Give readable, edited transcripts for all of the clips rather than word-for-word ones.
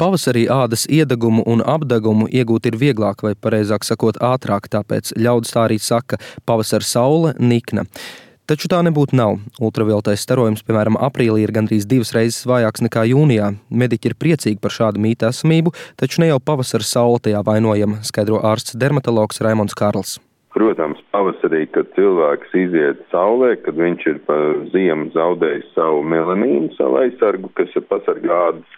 Pavasarī ādas iedegumu un apdegumu iegūt ir vieglāk, vai pareizāk sakot, ātrāk, tāpēc ļaudis tā arī saka – pavasara saule nikna. Taču tā nebūtu nav. Ultravioletais starojums, piemēram, aprīlī ir gandrīz 2 reizes vājāks nekā jūnijā. Mediķi ir priecīgi par šādu mītu esamību, taču ne jau pavasara saule tajā vainojama, skaidro ārsts dermatologs Raimonds Kārls. Protams, pavasarī, kad cilvēks iziet saulē, kad viņš ir pa ziemu zaudējis savu melanīnu, savu aizsargu, kas pasargā ādas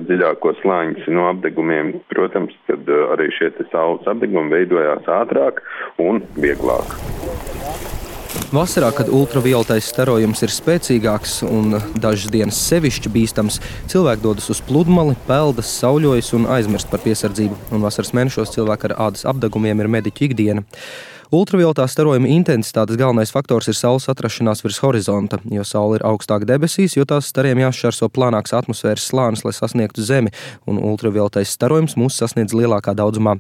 dziļākos slāņus no apdegumiem, protams, kad arī šie saules apdegumi veidojās ātrāk un vieglāk. Vasarā, kad ultravioletais starojums ir spēcīgāks un dažas dienas sevišķi bīstams, cilvēki dodas uz pludmali, peldas, sauļojas un aizmirst par piesardzību. Un vasaras mēnešos cilvēki ar ādas apdegumiem ir mediķu ikdiena. Ultravioletā starojuma intensitātes galvenais faktors ir saules atrašanās virs horizonta, jo saule ir augstāk debesīs, jo tās stariem jāšķērso planāks atmosfēras slānis, lai sasniegtu Zemi, un ultravioletais starojums mūs sasniedz lielākā daudzumā.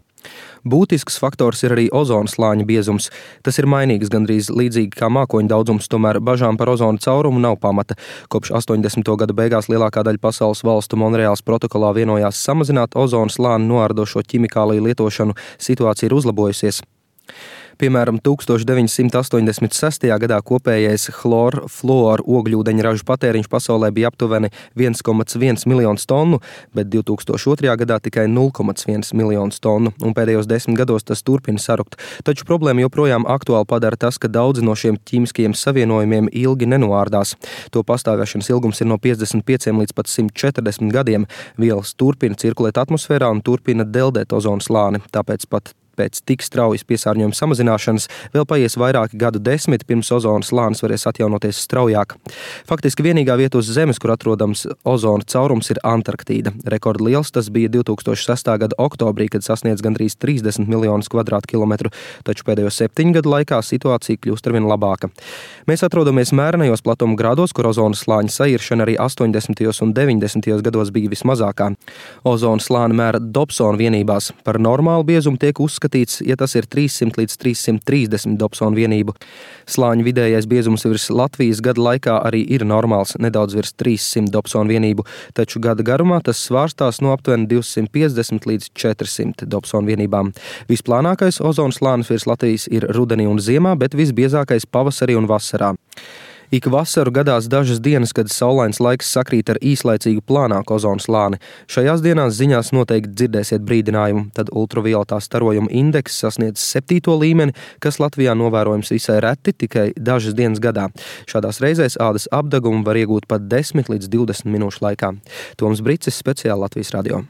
Būtisks faktors ir arī ozona slāņa biezums. Tas ir mainīgs gandrīz līdzīgi kā mākoņu daudzums, tomēr bažām par ozona caurumu nav pamata. Kopš 80. gada beigās lielākā daļa pasaules valstu Monreāls protokolā vienojās samazināt ozona slāni noārdošo ķimikāliju lietošanu, situācija ir uzlabojusies. Piemēram, 1986. gadā kopējais chlor-fluoru ogļūdeņa ražu patēriņš pasaulē bija aptuveni 1,1 miljonus tonu, bet 2002. gadā tikai 0,1 miljonus tonu, un pēdējos 10 gados tas turpina sarukt. Taču problēma joprojām aktuāli padara tas, ka daudzi no šiem ķīmiskajiem savienojumiem ilgi nenoārdās. To pastāvēšanas ilgums ir no 55 līdz pat 140 gadiem. Vielas turpina cirkulēt atmosfērā un turpina deldēt ozona slāni, tāpēc pat pēc tik straujas piesārņojuma samazināšanas vēl paies vairāki gadu desmiti, pirms ozona slānis varēs atjaunoties straujāk. Faktiski vienīgā vieta uz Zemes, kur atrodams ozona caurums, ir Antarktīda. Rekordliels tas bija 2006. gada oktobrī, kad sasniedz gandrīz 30 miljonus kvadrātkilometru, taču pēdējo 7 gadu laikā situācija kļūst arvien labāka. Mēs atrodamies mērenajos platuma grādos, kur ozona slāņa sairšana arī 80. un 90. gados bija vismazākā. Ozona slāni mēra Dobsona vienībās. Par normālu biezumu tiek uzskatīts, ja tas ir 300 līdz 330 Dobsona vienību. Slāņa vidējais biezums virs Latvijas gada laikā arī ir normāls, nedaudz virs 300 Dobsona vienību, taču gada garumā tas svārstās no aptuveni 250 līdz 400 Dobsona vienībām. Visplānākais ozona slānis virs Latvijas ir rudenī un ziemā, bet visbiezākais pavasarī un vasarā. Ik vasaru gadās dažas dienas, kad saulains laiks sakrīt ar īslaicīgu plānāku ozona slāni. Šajās dienās ziņās noteikti dzirdēsiet brīdinājumu, tad ultravioletā starojuma indeks sasniedz 7. līmeni, kas Latvijā novērojams visai reti, tikai dažas dienas gadā. Šādās reizēs ādas apdegumu var iegūt pat 10 līdz 20 minūšu laikā. Toms Bricis, speciāli Latvijas radio.